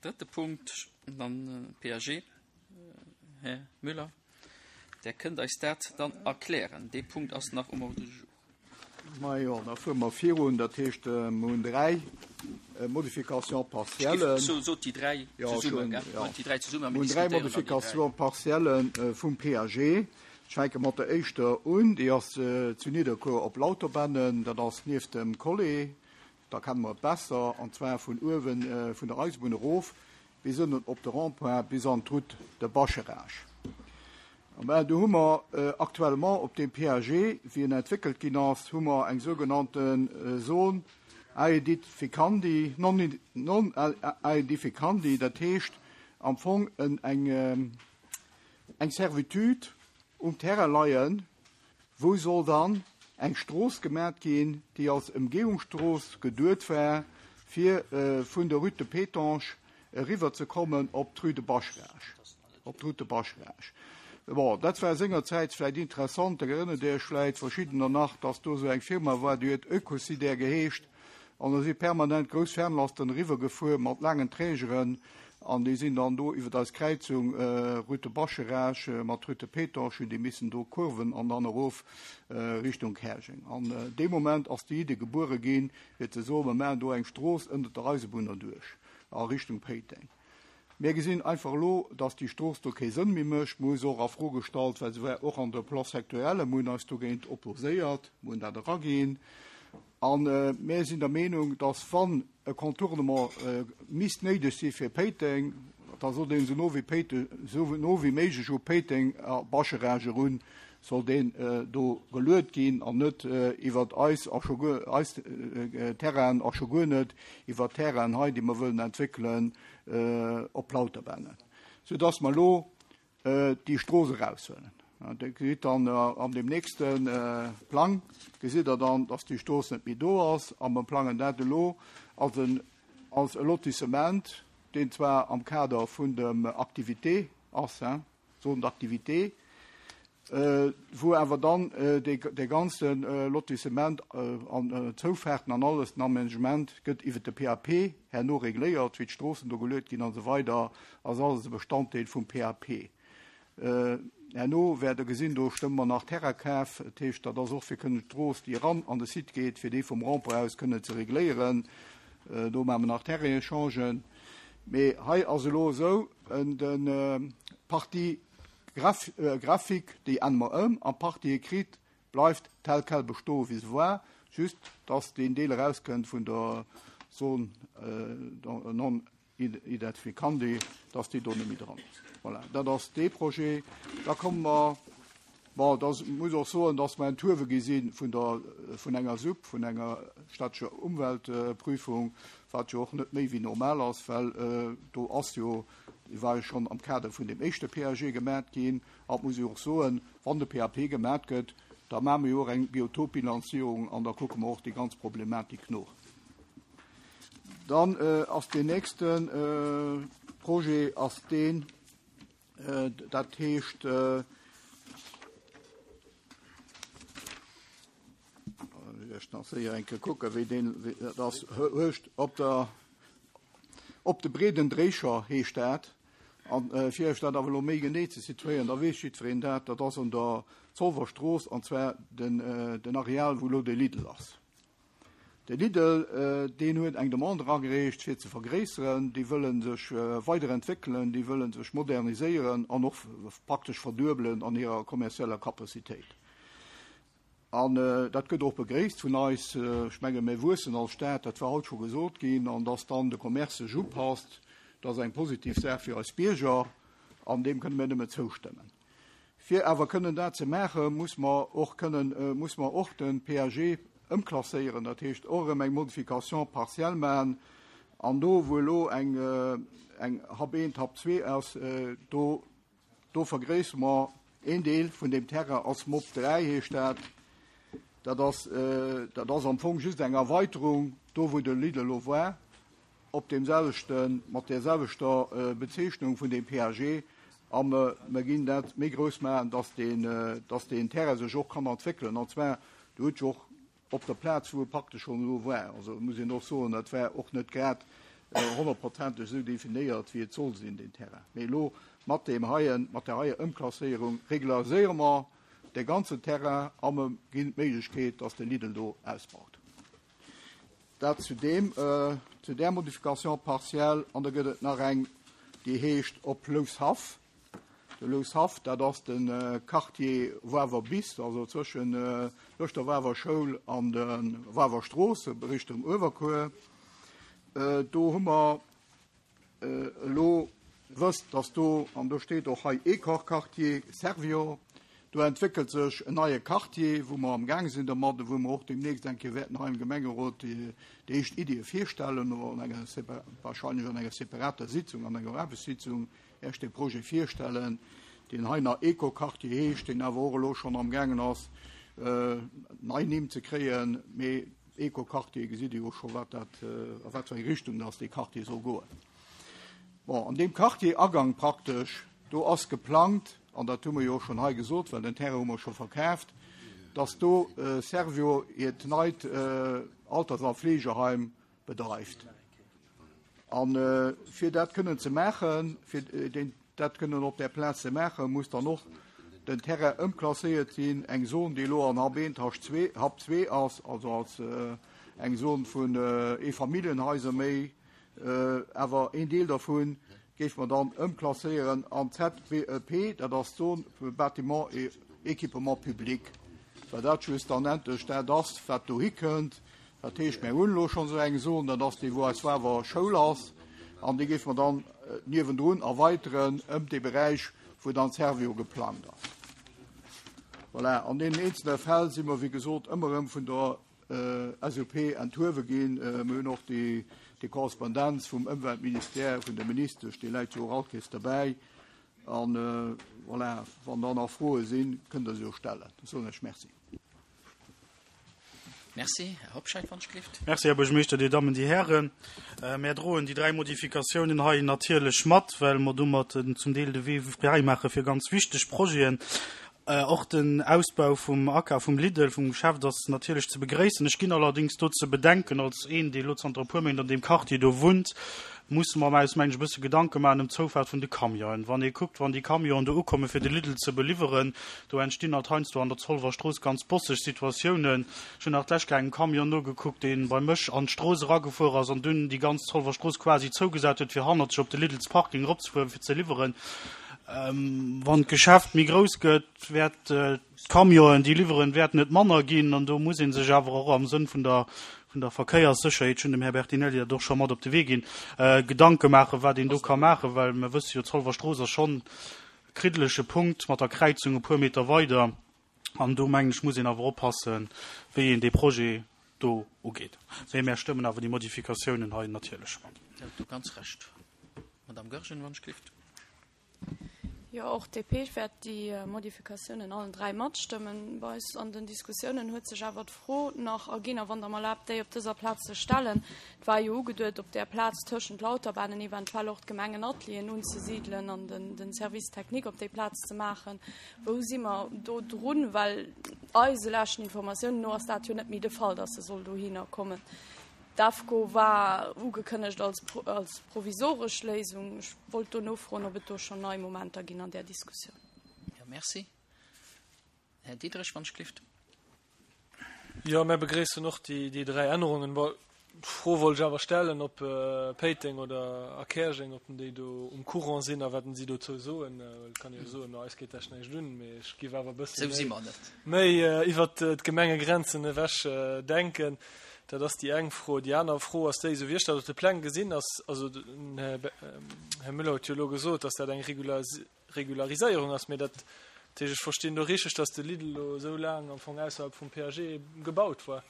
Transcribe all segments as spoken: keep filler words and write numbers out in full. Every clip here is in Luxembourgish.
Drëtte Punkt, dann P A G. Här Müller, Dir kënnt eis dat dann erklären. Dee Punkt ass nach um Ordre du jour. Ma jo, da fuere mer virun, dat heescht, mir hunn dräi Modifications partielles. So, so déi dräi Ja, zesummen, schonn, gell? ja. Déi dräi zesummen, Mir hunn dräi diskutéieren dann déi dräi. Modifications partielles vum P A G. Ech fänke mat der éischter un, déi ass zu Nidderkuer op Lauterbännen, dat ass nieft dem Collé, da kenne mer et besser, an zwar vun uewe vun der Eisebunn erof bis ënnen op de Rond-point bis an d'Route de Bascharage. An do hu mer actuellement op dem P A G, wéi en entwéckelt ginn ass, hu mer eng sougenannte Zone aedificandi, non, non aedificandi, dat heescht am Fong en, eng, eng Servitude um Terrain leien, wou soll dann eng Strooss gemat ginn, déi als Ëmgehungsstrooss geduet war, fir äh, vun der Rue de Pétange eriwwer ze kommen op d'Rue de Bascharage. Op d'Route de Bascharage. Bon, dat war sengerzäit vläicht interessant, da erënnert Dir iech vläicht verschiddener nach, dass do sou eng Firma war, déi huet Ökosider geheescht, an da si permanent grouss Fernlasten eriwwer gefuer mat laangen Trägeren, an déi sinn dann do iwwer eis Kräizung äh, Rue de Bascharage äh, mat Rue de Pétange, hunn déi missen do Kurven an dann erof äh, Richtung Käerjeng. An äh, dee Moment ass déi Idee gebuere ginn, fir ze soen, mir maachen do eng Strooss ënner der Eisebunn duerch a Richtung Péiteng. Mir gesinn einfach lo, dass déi Strooss do kee Sënn méi mécht, mir hu se och a Fro gestallt, well se war och an der Plan sectoriel, mir hunn eis dogéint opposéiert, mir hunn dat eraginn. An äh, mir sinn der Meenung, dass wann e Contournement äh, misst néideg si fir Péiteng, da soll deen sou no wéi Péiteng, sou no wéi méiglech u Péiteng a Bascharage erun, soll deen äh, do geluet ginn an net äh, iwwer eis a scho guer eis äh, Terrain a scho guer net iwwer Terrain hei, déi mer wëllen entwéckelen äh, op Lauterbännen. So dass mer lo äh, déi Strooss eraushuelen. Ja, Dir gesitt dann äh, an dem nächsten äh, Plang gesitt Der dann, dass déi Strooss net méi do ass, a mer plangen dat elo als en als e Lotissement, deen zwar am Kader vun dem Activité ass, hein, Zone d'activité, äh, wou awer dann äh, de, de ganzen äh, Lotissement äh, an äh, Zoufaarten an alles den Aménagement gëtt iwwer de P A P herno regléiert, wéi d'Stroossen do geluet ginn an sou weider, ass alles e Bestanddeel vum P A P. Äh, herno wäert Der gesinn, do stëmme mer nach Terrainkaf, dat heescht, dat ass och fir kënnen d'Strooss, déi ran an de Site geet, fir déi vum Rond-point aus kënnen ze regléieren. Äh, do maache mer nach Terrain-Échangen. Mee hei ass elo sou, den äh, Partie Graph äh, graphique, déi ännere mer ëm, an Partie écrite bleift tel quel bestoen, wéi se war, just dass deen Deel erauskënnt vun der Zone äh, non aedificandi, dass déi do net méi dran ass. Voilà, dat ass dee Projet. Da komme mer, bon, dat muss och soen, dass mer enthuewe gi si vun der vun enger S U P, vun enger städtescher Umweltprüfung, wat jo och net méi wéi normal ass, well äh, do ass jo déi war jo schonn am Kader vun dem éischte P A G gemat ginn, a muss ech och soen, wann de P A P gemat gëtt, da maache mer jo och eng Biotopbilanzierung an da kucke mer och déi ganz Problematik no. Dann äh, ass den nächsten äh, Projet ass deen, äh, dat heescht äh, ech nach séier eng Kéier kucken, wéi deen wéi, dat ass heescht op der op de Breeden Dréischer heescht dat. An äh, fir iech dat awer lo méi genee ze situéieren, da weess jiddwereen dat, dat ass an der Zolwerstrooss an zwar den, äh, den Areal, wou lo de Lidl ass. De Lidl, äh, deen huet eng Demande eragereecht fir ze vergréisseren, déi wëllen sech äh, weiderentwéckelen, déi wëllen sech moderniséieren an och praktesch verduebelen an hirer kommerzieller Kapazitéit. An äh, dat gëtt och begréisst vun eis, äh, ech menge mir wuessen als Stad, dat war haut scho gesot ginn, an dass dann de Commerce sech upasst, dat ass eng positiv Saach fir eis Bierger, an deem kënne mir nëmme zoustëmmen. Fir awer kënnen dat ze maachen, muss mer och kënnen, äh, muss mer och den P A G ëmklasséieren, dat heescht och erëm eng Modification partielle maachen, an do wou elo eng, äh, eng H eent, H zwee ass, äh, do, do vergréissere mer een Deel vun dem Terrain als M O P dräi heescht dat. Dat ass, äh, dat ass am Fong just eng Erweiterung, do wou de Lidl elo war, op dem selwechten, mat der selwechter äh, Bezeechnung vun dem P A G, an äh, mir ginn dat méi grouss maachen, dass den, äh, dass den Terrain sech och kann entwéckelen. An zwar, do huet jo och op der Plaz, wou e praktesch schonn elo war. Also muss een och soen, dat war och net grad honnertprozenteg esou definéiert, wéi et soll sinn, deen Terrain. Mee elo mat deem heien, mat där heier Ëmklasséierung regulariséiere mer de ganzen Terrain a mer ginn d'Méiglechkeet, dass de Lidl do ausbaut. Dat zu deem, zu där Modification partielle. An da gëtt et nach eng, déi heescht op Loushaff. De Loushaff, dat ass de Quartier Wawer bis, also zwëschen tëscht der Wawer Schoul an der Wawer Strooss, Richtung Uewerkuer. Do hu mer elo wësst, dass do, an do steet och hei Ecorquartier Servior, do entwéckelt sech en neie Quartier, wou mer amgaang sinn dermat, wou mer och deemnächst eng Kéier wäerten hei im Gemengerot déi éischt Iddie virstellen, oder an enger wahrscheinlech an enger separater Sitzung, an enger Aarbechtssitzung, Iech dee Projet virstellen, deen hei nach Ecoquartier heescht, deen awer och elo schonn amgaangen ass, nei Nimm ze kréien. Mee Ecoquartier, gesitt Dir jo scho wat dat, a wat fir eng Richtung dass dee Quartier soll goen. Bon, an deem Quartier-Agang praktesch, do ass geplangt, an dat hu mer jo och schonn hei gesot, well den Terrain hu mer scho verkaaft, dass do Servior hiert neit Alters a Fleegeheim bedreift. A fir dat kënnen ze maachen, fir dat kënnen op där Plaz ze maachen, muss dann och den Terrain ëmklasséiert sinn, eng Zon, déi elo an Hub eent, Hub zwee ass, also als eng Zon vun Eefamilljenhaiser méi, awer een Deel dervu géife mer dann ëmklasséieren an Z B E P, dat ass d'Zone fir Bâtiments et équipements publics, well dat schlussendlech dat ass, wat dohi kënnt. Dat heescht, mir hunn elo schonn esou eng Zon, dat ass déi, wou eis Wawer Schoul ass, an déi géife mer dann niewendrun erweiteren ëm dee Beräich, wou dann Servior geplangt ass. Voilà, an deenen eenzelne Fäll si mer, wéi gesot, ëmmer erëm vun der S U P enthuewe ginn. Mir hunn och déi, déi Korrespondenz vum Ëmweltministère, vun der Ministesch, déi läit jo och alt Kéiers derbäi. An voilà, wann da nach Froe sinn, kënnt Der se jo stellen. Da soen ech Merci. Merci. Här Hobscheit, wann ech gelift. Merci, Här Buergermeeschter, Dir Dammen, Dir Hären. Mär droen déi dräi Modifikatiounen hei natierlech mat, well mer domat zum Deel de Wee fräi maache fir ganz wichteg Projeten. Och den Ausbau vum Akaf vum Lidl, vum Geschäft, ass natierlech ze begréissen. Ech ginn allerdéngs do ze bedenken, als een, dee lo zanter e puer Méint an deem Quartier do wunnt, musse mer eis, mengen ech, e bësse Gedanke maachen ëm d'Zoufaart vun de Camionen. Wann ee kuckt, wann déi Camionen do ukomme fir de Lidl ze beliwweren, do entstinn alt heiansdo an der Zolwer Strooss ganz bosseg Situatiounen. Ech hunn nach d'lescht Kéier engem Camion nogekuckt, dee bei mech an d'Strooss eragefuer ass an dunn déi ganz Zolwer Strooss quasi zougesat huet, fir hannert sech op de Lidls Parking eropzefueren, fir ze liwweren. Wann d'Geschäft méi grouss gëtt, wäert d'Camionen, déi liwweren, wäerten net manner ginn. An do muss ee sech awer och am Sënn vun der, vun der Verkéierssécherheet, ech hunn dem Här Bertinelli dat och scho mat op de Wee ginn, Gedanke maachen, wat een do ka maachen, well mer wësse jo, d'Zolwer Strooss ass schonn e kriddelege Punkt mat der Kräizung e puer Meter weider. An do, mengen ech, muss een awer oppassen, wéi een dee Projet do ugeet. Mee mär stëmmen awer déi Modifikatiounen hei natierlech mat. Dir hutt do ganz Recht. Madame Goergen, wann ech gelift. Jo, och d'D P wäert déi Modifikatiounen allen dräi matstëmmen. Bei eis an den Diskussiounen huet sech awer d'Fro nach erginn, a wann Der mer erlaabt, déi op dëser Plaz ze stellen, Et war jo ugeduet, op där Plaz tëschent Lauterbanen eventuell och d'Gemengenatelieren unzesidelen an den, den Service technique op déi Plaz ze maachen. Wou si mer do drun? Well eise leschten Informatiounen no ass dat jo net méi de Fall, dass se soll dohinner kommen. D'AFCO war ugekënnegt als, als provisoresch Léisung. Ech wollt do nofroen, ob et do schonn nei Momenter ginn an där Diskussioun. Jo, merci. Här Diderich, wann ech gelift. Jo, mir begréissen och déi, déi dräi Ännerungen. Bon, d'Fro wollt ech awer stellen, ob Péiteng oder a Käerjeng, ob déi do um Courant sinn a wat si dozou soen. Well et kann ee jo soen, no eis geet dat näischt un, mee ech géif awer e bësse Sou si méi, mer net. méi iwwert d'Gemengegrenzen ewech denken. Dat ass déi eng Fro. Déi aner Fro ass déi, esou wéi ech dat op de Pläng gesinn ass, also den Här, Här Müller huet jo elo gesot, dass dat eng Regulariséierung ass, mee dat heescht, ech verstinn do richteg, dass de Lidl elo esou laang am Fong ausserhalb vum P A G gebaut war.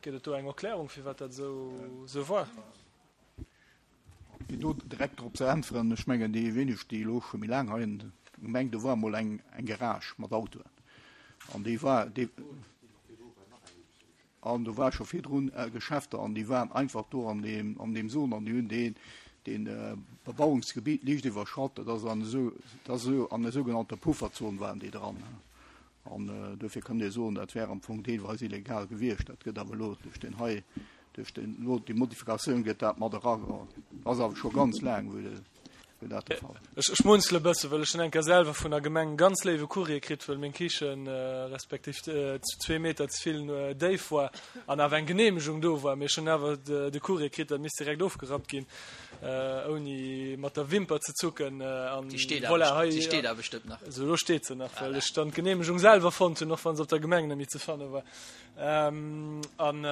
Gëtt et do eng Erklärung, firwat dat esou, esou war? Fir do direkt drop ze äntweren, ech mengen, déi wéineg, déi elo scho méi laang hei an der Gemeng, do war emol eng, eng Garage mat Autoen an déi war, déi, an do war scho virdrun Geschäfter an déi waren einfach do an deem, an deem Zon an déi hunn deen, deen Bebauungsgebiet liicht iwwerschratt. Dat ass an esou, dat ass esou an der sougenannter Pufferzon waren déi dran. An dofir kann ee soen, dat wär am Fong deelweis illegal gewiescht. Dat gëtt awer elo duerch den hei, Duerch den, elo déi Modifikatioun gëtt dat mat erageholl. Ass awer scho ganz laang, wou de, wou dat de Fall ass. Ech schmunzele e bësse, well ech hunn eng Kéier selwer vun der Gemeng e ganz léiwe Courrier kritt, well meng Kichen, respektiv zwee Meter ze vill déif war an awer eng Geneemegung do war. Mee ech hunn awer de Courrier kritt, dat misst direkt ofgerappt ginn, ouni mat der Wimper ze zucken. An Déi steet voilà, awer, hei, déi steet awer bestëmmt nach. Also elo steet se nach, well ech dann d'Geneemegung selwer fonnt hunn, och wa se op der Gemeng net méi ze fanne war. An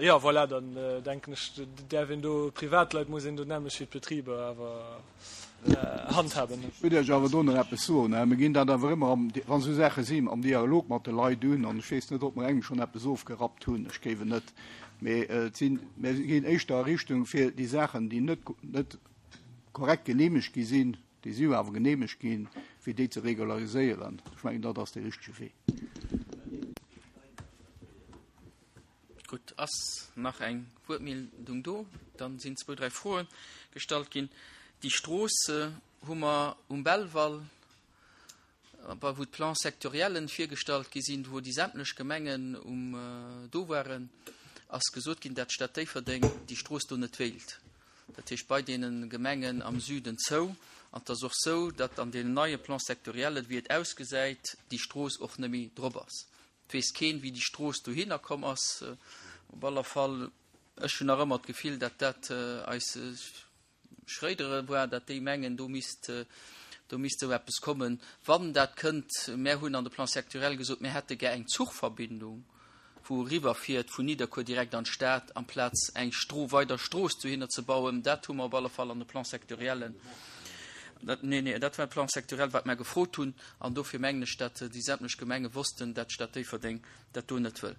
jo, voilà, dann denken ech, däerf een do, Privatleit muss een do d'nämmlecht wéi d'Betriber awer handhaben. Ech wëll Iech awer do nach eppes soen. Mir ginn dat awer ëmmer, am, wa sou Saache sinn, am Dialog mat de Leit un. An ech weess net, ob mer engem schonn eppes ofgerappt hunn. Ech géif et net. Mee et sinn, mir ginn éischter a Richtung, fir déi Saachen, déi net, net korrekt geneemegt gi sinn, déi si jo awer geneemegt ginn, fir déi ze regulariséieren. Ech mengen, dat ass dee richtege Wee. Gutt, ass nach eng Wuertmeldung do? Dann sinn zwou, dräi Froe gestallt ginn. Déi Strooss hu mer um Belval, bei wou d'Plans sectoriellen virgestallt gi sinn, wou déi sämtlech Gemengen um do waren, ass gesot ginn, dat d'Stad Déifferdeng déi Strooss do net wéilt. Dat heescht bei deene Gemengen am Süden zou. An et ass och sou, datt an deenen neie Plans sectoriellen, wéi et ausgesäit, déi Strooss och net méi drop ass. Et weess keen, wéi déi Strooss dohinner komm ass. Op aller Fall, ech hunn nach ëmmer d'Gefill, datt dat eis Schréidere war, datt déi mengen, do misst, do misst esou eppes kommen. Wann dat kënnt, mär hunn an de Plan sectoriel gesot, mär hätte gär eng Zuchverbindung, wou eriwwerfiert vun Nidderkuer direkt an d'Stad, amplaz eng Stro weider Strooss dohinner ze bauen. Dat hu mer op alle Fall an de Plan sectoriellen, dat, nee, nee, dat war de Plan sectoriel, wat mer gefrot hunn. An dofir mengen ech, datt déi sämtlech Gemenge wossten, datt d'Stad Déifferdeng dat do net wëll.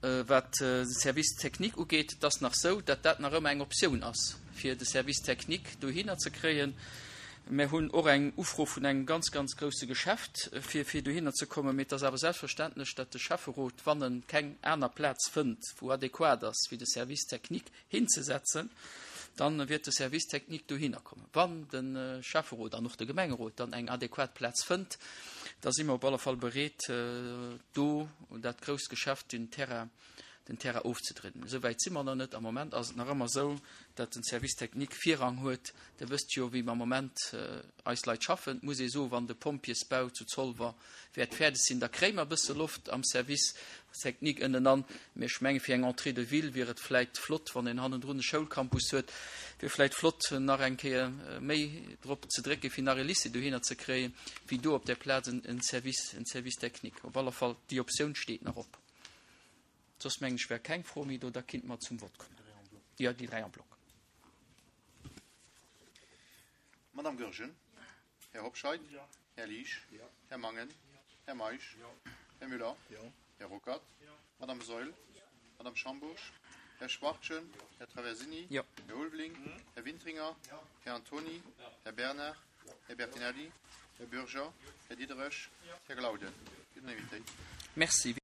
Wat de Service technique ugeet, et ass nach esou, datt dat nach ëmmer eng Optioun ass, fir de Service technique dohinner ze kréien. Mir hunn och eng Ufro vun engem ganz, ganz grousse Geschäft, fir, fir dohinner ze kommen. Mee et ass awer selbstverständlech, datt de Schäfferot, wann en keng aner Plaz fënnt, wou adequat ass, fir de Service technique hinzesetzen, dann wäert de Service technique dohinner kommen. Wann de Schäfferot an och de Gemengerot dann eng adequat Plaz fënnt, da si mer op alle Fall bereet, do dat grousst Geschäft den Terrain, den Terrain ofzedrinn. Esou wäit si mer nach net. Am Moment ass et nach ëmmer esou, datt den Service technique Virrang huet. Dir wësst jo, wéi am Moment eis Leit schaffen. Et muss ee soen, wann de Pompjeesbau zu Zolwer wäert fäerdeg sinn, da kréie mer e bësse Loft am Service technique ënnenan. Mee ech menge fir eng Entrée de ville wier et vläicht flott, wann een hannendrun e Schoulcampus huet, wier vläicht flott nach eng Kéier méi drop ze drécken, fir nach e Lycée dohinner ze kréien, wéi do op där Plaz en Service, en Service technique. Op alle Fall, déi Optioun steet nach op. Soss mengen ech wär keng Fro méi do, da kinnte mer zum Vott kommen. Jo, déi dräi en bloc. Madame Goergen. Här Hobscheit. Här Liesch. Här Mangen. Här Meisch. Här Müller. Här Ruckert. Madame Saeul. Madame Schambourg. Här Schwachtgen. Här Traversini. Här Ulveling. Här Wintringer. Här Antony. Här Bernard. Här Bertinelli. Här Bürger. Här Diderich. Här Glauden. Unanimitéit. Merci.